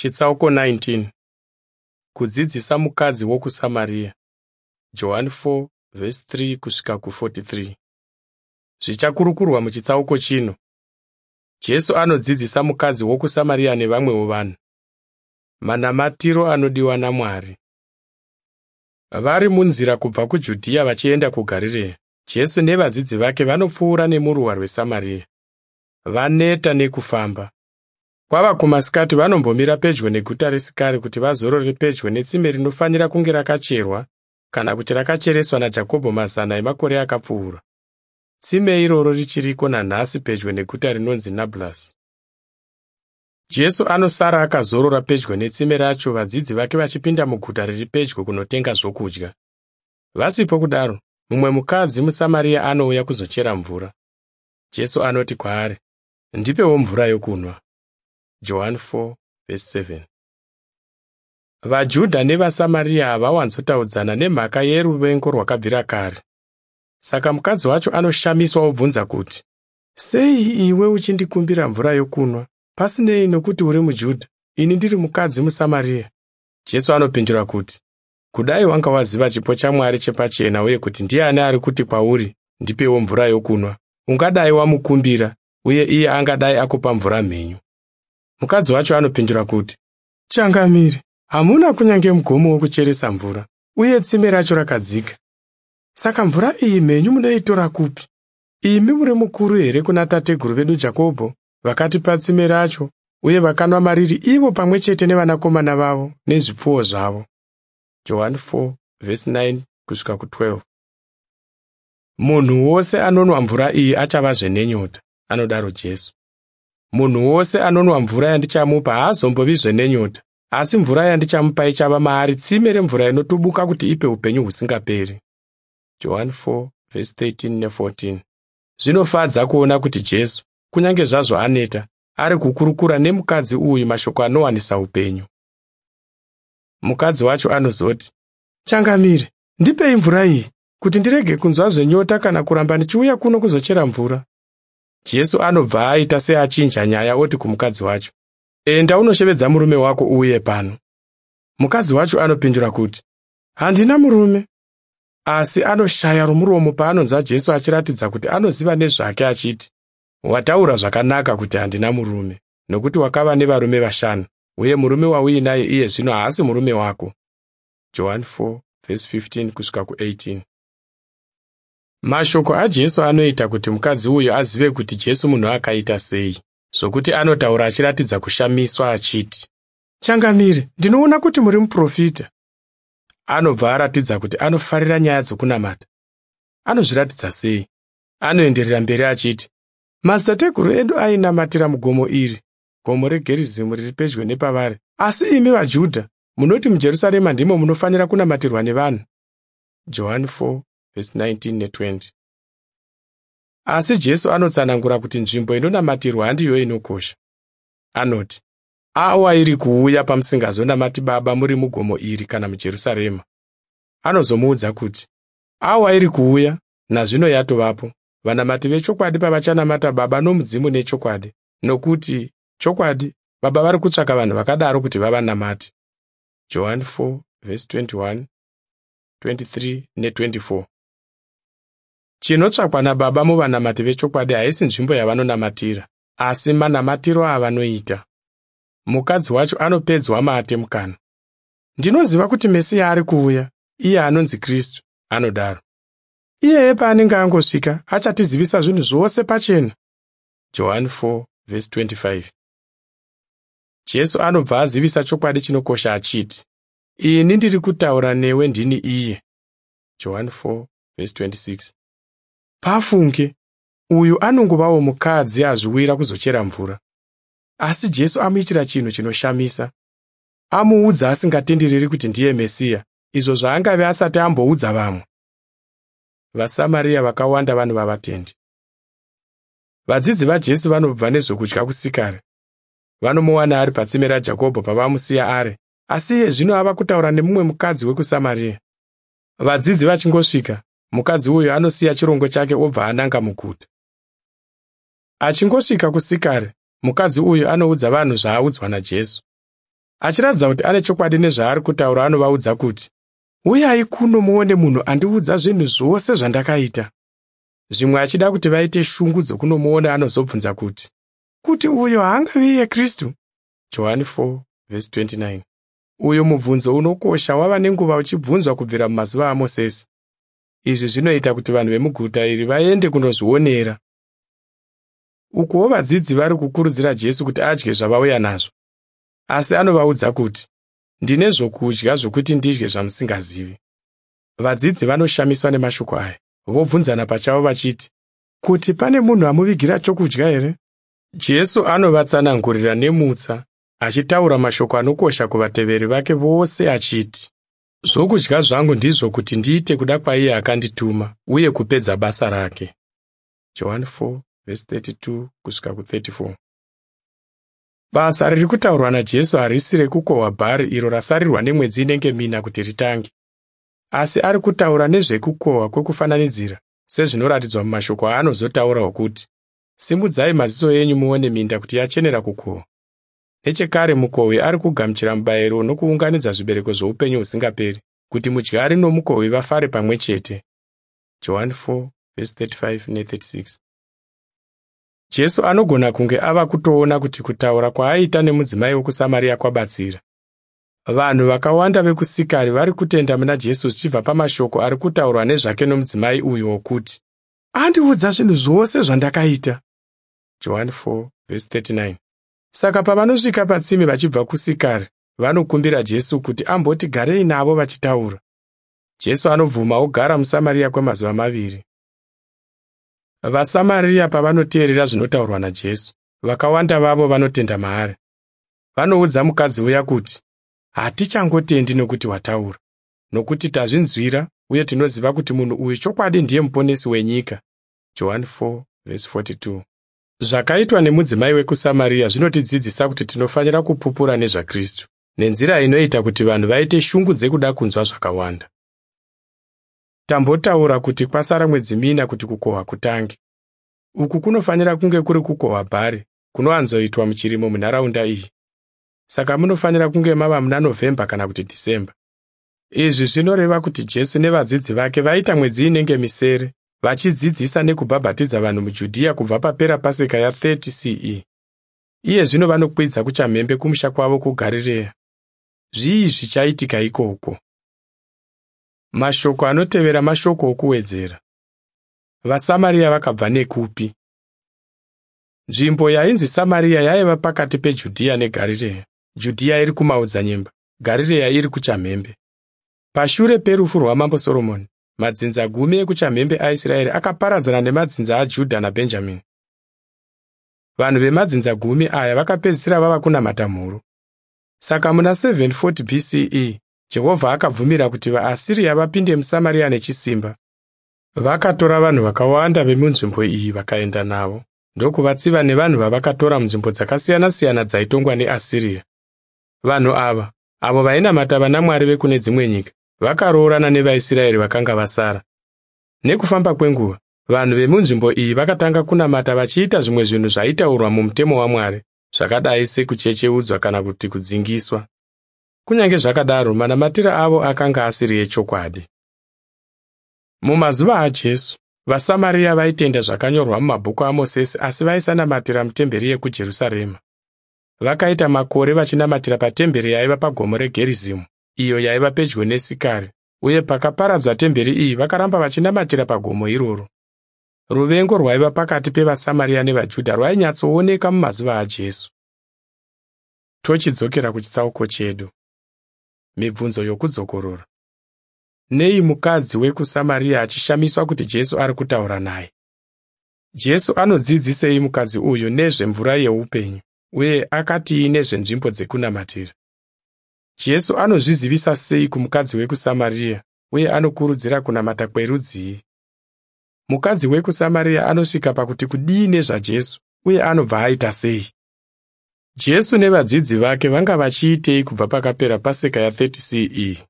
Chitsauko 19. Kudzidzisa mukadzi wokuSamaria. Johani 4:3 kusvika ku43. Zvichakurukurwa muchitsauko chino. Jesu anodzidzisa mukadzi wokuSamaria nevamwewo vanhu. Manamatiro anodiwa naMwari. Vari munzira kubva kuJudhiya vachienda kuGarirea, Jesu nevadzidzi vake vanopfuura nemuruwa rweSamaria. Vaneta nekufamba. Kwava kumasikati vanombomira pedyo neguta reSikari kuti vazorore pedyo netsime rinofanira kunge rakacherwa kana kuti rakachereswa naJakobho mazana emakore akapfuura. Tsime iroro richiriko nanhasi pedyo neguta rinonzi Nablus. Jesu anosara akazorora pedyo netsime racho vadzidzi vake vachipinda muguta riri pedyo kunotenga zvokudya. Vasipo kudaro, mumwe mukadzi muSamaria anouya kuzochera mvura. Jesu anoti kwaari, "Ndipewo mvura yokunwa." Johani 4:7. VaJudha nevaSamaria havawanzotaudzana nemhaka yeruvengo rwakabvira kare. Saka mukadzi wacho anoshamiswa obvunza kuti, "Sei iwe uchindikumbira mvura yokunwa, pasinei nokuti uri muJudha, ini ndiri mukadzi muSamaria?" Jesu anopindura kuti, "Kudai wanga waziva chipo chaMwari chepachena uye kuti ndiani ari kuti kwauri, ndipewo mvura yokunwa, ungadai wamukumbira uye iye angadai akupa mvura mhenyu." Mukadzi wacho anopindura kuti, "Changamire, hamuna kunyange mugomo wokucheresa mvura, uye tsime racho rakadzika. Saka mvura iyi mhenyu munoitora kupi? Imi muri mukuru here kuna tateguru vedu Jakobho, vakatipa tsime racho uye vakanwa mariri ivo pamwe chete nevanakomana vavo nezvipfuwo zvavo?" Johani 4:9 kusvika ku12. Munhu wose anonwa mvura iyi achavazve nenyota, anodaro Jesu. Munhu wose anonwa mvura yandichamupa haazombovizve nenyota, asi mvura yandichamupa ichava maari tsime remvura inotubuka kuti ipe upenyu husingaperi. Johani 4:13 ne14. Zvinofadza kuona kuti Jesu, kunyange zvazvo aneta, ari kukurukura nemukadzi uyu mashoko anowanisa upenyu. Mukadzi wacho anozoti, "Changamire, ndipei mvura iyi, kuti ndirege kunzwazve nyota kana kuramba ndichiuya kuno kuzochera mvura." Jesu anobva aita seachinja nyaya oti kumukadzi wacho, "Enda unoshevedza murume wako uuye pano." Mukadzi wacho anopindura kuti, "Handina murume." Asi anoshaya romuromo paanonzwa Jesu achiratidza kuti anoziva nezvake achiti, "Wataura zvakanaka kuti handina murume, nokuti wakava nevarume vashanu, uye murume wauinaye iye zvino haasi murume wako." Johani 4:15 kusvika ku18. Mashoko aJesu anoita kuti mukadzi uyu azive kuti Jesu munhu akaita sei, zvokuti anotaura achiratidza kushamiswa achiti, "Changamire, ndinoona kuti muri muprofita." Anobva aratidza kuti anofarira nyaya dzokunamata. Anozviratidza sei? Anoenderera mberi achiti, "Madzitateguru edu ainamatira mugomo iri, gomo reGerizimu riri pedyo nepavari, asi imi vaJudha munoti muJerusarema ndimo munofanira kunamatirwa nevanhu." Johani 4:19 ne20. Asi Jesu anotsanangura kuti nzvimbo inonamatirwa handiyo inokosha. Anoti, "Awa iri kuuya pamusingazonamati Baba muri mugomo iri kana muJerusarema." Anozomuudza kuti, "Awa iri kuuya, nazvino yatovapo, vanamati vechokwadi pavachanamata Baba nomudzimu nechokwadi, nokuti chokwadi Baba vari kutsvaka vanhu vakadaro kuti vavanamate." Johani 4:21, 23 ne24. Chinotsvakwa naBaba muvanamati vechokwadi haisi nzvimbo yavanonamatira, asi manamatiro avanoita. Mukadzi wacho anopedzwa mate mukanwa. "Ndinoziva kuti Mesiya ari kuuya, iye anonzi Kristu," anodaro. "Iyeye paanenge angosvika, achatizivisa zvinhu zvose pachena." Johani 4:25. Jesu anobva azivisa chokwadi chinokosha achiti, "Ini ndiri kutaura newe ndini iye." Johani 4:26. Pafunge, uyu anongovawo mukadzi azviwira kuzochera mvura. Asi Jesu amuitira chinhu chinoshamisa. Amuudza asingatendereri kuti ndiye Mesiya, izvo zvaangave asati amboudza vamwe. VaSamaria vakawanda vanova vatendi. Vadzidzi vaJesu vanobva nezvokudya kuSikari. Vanomuwana ari patsime raJakobho pavamusiya ari, asi iye zvino ava kutaura nemumwe mukadzi wekuSamaria. Vadzidzi vachingosvika, mukadzi uyu anosiya chirongo chake obva ananga muguta. Achingosvika kuSikari, mukadzi uyu anoudza vanhu zvaaudzwa naJesu. Achiratidza kuti ane chokwadi nezvaari kutaura anovaudza kuti, "Uyai kuno muone munhu andiudza zvinhu zvose zvandakaita." Zvimwe achida kuti vaite shungu dzokunomuona anozobvunza kuti, "Kuti uyo haangavi iye Kristu?" Johani 4:29. Uyu mubvunzo unokosha wava nenguva uchibvunzwa kubvira mumazuva aMosesi. Izvi zvinoita kuti vanhu vemuguta iri vaende kunozvionera. Ukuwo vadzidzi vari kukurudzira Jesu kuti adye zvavauya nazvo. Asi anovaudza kuti, "Ndine zvokudya zvokuti ndidye zvamusingazivi." Vadzidzi vanoshamiswa nemashoko aya, vobvunzana pachavo vachiti, "Kuti pane munhu amuvigira chokudya here?" Jesu anovatsanangurira nemutsa, achitaura mashoko anokosha kuvateveri vake vose achiti, "Zvokudya zvangu ndizvo kuti ndiite kuda kwaiye akandituma uye kupedza basa rake." Johani 4:32 kusvika ku34. Basa riri kutaurwa naJesu harisi rekukohwa bhari iro rasarirwa nemwedzi inenge mina kuti ritange. Asi ari kutaura nezvekukohwa kwekufananidzira, sezvinoratidzwa mumashoko aanozotaura okuti, "Simudzai maziso enyu muone minda kuti yachenera kukohwa." Nechekare mukohwi ari kugamuchira mubayiro nokuunganidza zvibereko zvoupenyu husingaperi, kuti mudyari nomukohwi vafare pamwe chete. Johani 4:35 ne36. Jesu anogona kunge ava kutoona kuti kutaura kwaaita nemudzimai wekuSamaria kwabatsira. Vanhu vakawanda vekuSikari vari kutenda muna Jesu zvichibva pamashoko ari kutaurwa nezvake nomudzimai uyu wokuti, "Andiudza zvinhu zvose zvandakaita." Johani 4:39. Saka pavanosvika patsime vachibva kuSikari, vanokumbira Jesu kuti amboti garei navo vachitaura. Jesu anobvuma ogara muSamaria kwemazuva maviri. VaSamaria pavanoteerera zvinotaurwa naJesu, vakawanda vavo vanotenda maari. Vanoudza mukadzi uya kuti, "Hatichangotendi nokuti wataura, nokuti tazvinzwira uye tinoziva kuti munhu uyu chokwadi ndiye muponesi wenyika." Johani 4:42. Zvakaitwa nemudzimai wekuSamaria zvinotidzidzisa kuti tinofanira kupupura nezvaKristu nenzira inoita kuti vanhu vaite shungu dzekuda kunzwa zvakawanda. Tambotaura kuti kwasara mwedzi mina kuti kukohwa kutange. Uku kunofanira kunge kuri kukohwa bhari kunowanzoitwa muchirimo munharaunda iyi. Saka munofanira kunge mava muna November kana kuti December. Izvi zvinoreva kuti Jesu nevadzidzi vake vaita mwedzi inenge misere vachidzidzisa nekubhabhatidza vanhu muJudhiya kubva papera Paseka ya30 CE. Iye zvino vanokwidza kuchamhembe kumusha kwavo kuGarirea. Zvii zvichaitika ikoko? Mashoko anotevera mashoko okuwedzera. VaSamaria vakabva nekupi? Nzvimbo yainzi Samaria yaiva pakati peJudhiya neGarirea. Judhiya iri kumaodzanyemba, Garirea iri kuchamhembe. Pashure perufu rwaMambo Soromoni, madzinza gumi ekuchamhembe aIsraeri akaparadzana nemadzinza aJudha naBhenjamini. Vanhu vemadzinza gumi aya vakapedzisira vava kunamata mhuru. Saka muna 740 BCE, Jehovha akabvumira kuti vaAsiria vapinde muSamaria nechisimba. Vakatora vanhu vakawanda vemunzvimbo iyi vakaenda navo, ndokuvatsiva nevanhu vavakatora munzvimbo dzakasiyana-siyana dzaitongwa neAsiria. Vanhu ava, avo vainamata vanamwari vekune dzimwe nyika, vakaroorana nevaIsraeri vakanga vasara. Nekufamba kwenguva, vanhu vemunzvimbo iyi vakatanga kunamata vachiita zvimwe zvinhu zvaitaurwa mumutemo waMwari, zvakadai sekuchecheudzwa kana kuti kudzingiswa. Kunyange zvakadaro, manamatiro avo akanga asiri echokwadi. Mumazuva aJesu, vaSamaria vaitenda zvakanyorwa mumabhuku aMosesi asi vaisanamatira mutemberi yekuJerusarema. Vakaita makore vachinamatira patemberi yaiva pagomo reGerizimu, iyo yaiva pedyo neSikari, uye pakaparadzwa temberi iyi vakaramba vachinamatira pagomo iroro. Ruvengo rwaiva pakati pevaSamaria nevaJudha rwainyatsooneka mumazuva aJesu. Tochidzokera kuchitsauko chedu. Mibvunzo yokudzokorora. Nei mukadzi wekuSamaria achishamiswa kuti Jesu ari kutaura naye? Jesu anodzidzisei mukadzi uyu nezvemvura yeupenyu uye akatii nezvenzvimbo dzekunamatira? Jesu anozvizivisa sei kumukadzi wekuSamaria uye anokurudzira kunamata kwerudzii? Mukadzi wekuSamaria anosvika pakuti kudii nezvaJesu uye anobva aita sei? Jesu nevadzidzi vake vanga vachiitei kubva pakapera Paseka ya30 CE?